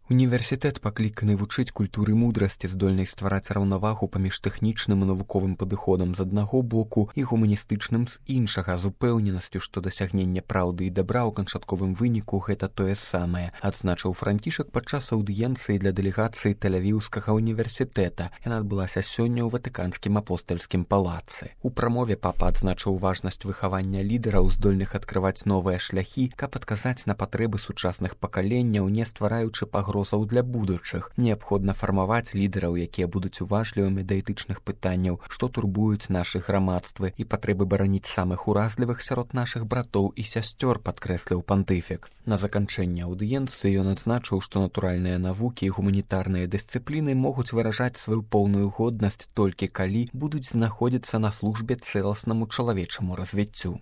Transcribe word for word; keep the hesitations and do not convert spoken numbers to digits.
Універсітэт пакліканы вучыць культуры мудрасці, здольнай ствараць раўнавагу паміж тэхнічным і навуковым падыходам з аднаго боку і гуманістычным з іншага, з упэўненасцю, што дасягненне праўды і дабра ў канчатковым выніку гэта тое самае, адзначыў Францішак падчас аўдыенцыі для дэлегацыі Тель-Авіўскага універсітэта. Яна адбылася сёння ў Ватыканскім апостальскім палацы. У прамове папа адзначыў важнасць выхавання лідараў, здольных адкрываць новыя шляхі, каб адказаць на патрэбы сучасных пакаленняў, не ствараючы пагрозаў для будучых. Неабходна фармаваць лідараў, якія будуць уважлівымі да этычных пытанняў, што турбуюць нашы грамадствы, і патрэбы бараніць самых уразлівых сярод нашых братоў і сясцёр, падкрэсліў пантыфік. На заканчэнне аўдыенцыі ён адзначыў, што натуральныя навукі і гуманітарныя дысцыпліны могуць выражаць сваю поўную годнасць толькі калі будуць знаходзіцца на службе цэласнаму чалавечаму развіццю.